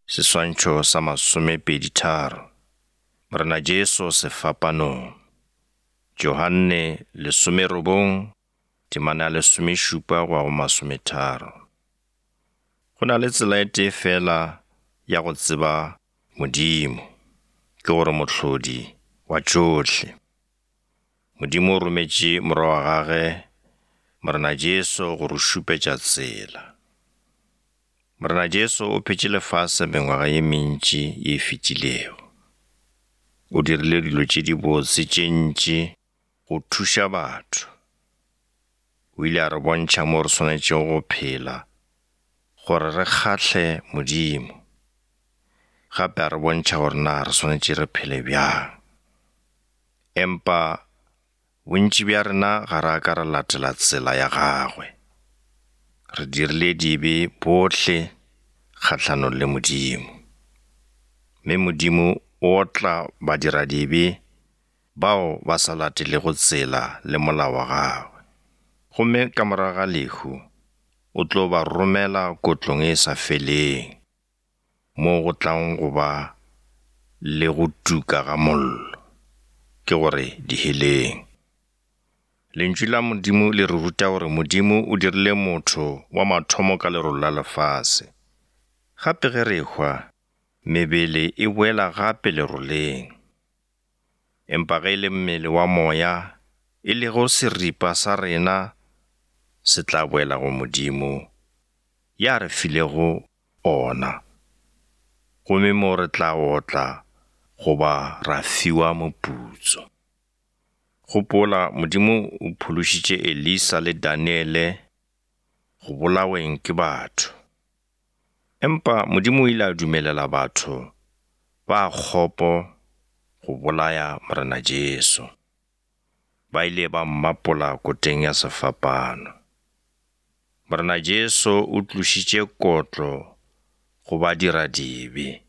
Seswantšho sa masomepeditharo. Morena Jesu sefapanong. Johanne lesomerobong, temana ya lesomešupa go ya go masometharo. Go na le tsela e tee feela ya go tseba Modimo, ke gore Mohlodi wa tšohle. Modimo o rometše Morwa wa gage, Morena Jesu, go re šupetša tsela. Morena Jesu o phetše lefase mengwaga ye mentši ye e fetilego. O dirile dilo tše dibotse tše ntši go thuša batho. O ile a re bontšha mo re swanetšego go phela gore re kgahle Modimo. Gape a re bontšha gore na re swanetše re phele bjang. Empa Bontši bja rena ga ra ka ra latela tsela ya gagwe. Re dirile dibe bohle kgahlanong le Modimo. Mme Modimo o otla badiradibe bao ba sa latelego tsela le molao wa gagwe. Gomme ka morago ga lehu, o tlo ba romela kotlong e sa feleng. Mo go tlang go ba le go tuka ga mollo, ke gore diheleng. Lentšu la Modimo le re ruta gore Modimo o dirile motho wa mathomo ka lerolo la lefase. Gape ge re ehwa, mebele e boela gape leroleng. Empa ge e le mmele wa moya, e lego seripa sa rena, se tla boela go Modimo ya re filego ona, gomme mo re tla otla goba ra fiwa moputso. Gopola, Modimo o phološitše Elisa le Daniele go bolaweng ke batho. Empa Modimo o ile a dumelela batho ba kgopo go bolaya Morena Jesu. Ba ile ba mmapola koteng ya sefapano. Morena Jesu o tlošitše kotlo go badiradibe.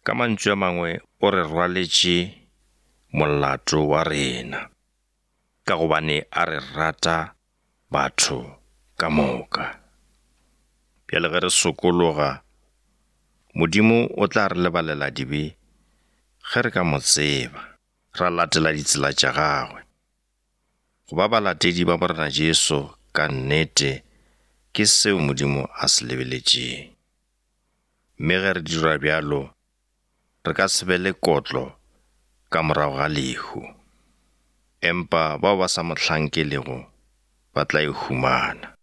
Ka mantšu a mangwe o re rwaletše molato wa rena, ka gobane a re rata batho ka moka. Bjale ge re sokologa, Modimo o tla re lebalela dibe ge re ka mo tseba, ra latela ditsela tša gagwe. Go ba balatedi ba Morena Jesu ka nnete ke seo Modimo a se lebeletšeng. Mme ge re dira bjalo, re ka se be le kotlo ka morago ga lehu. Empa bao ba sa mo hlankelego ba tla e humana.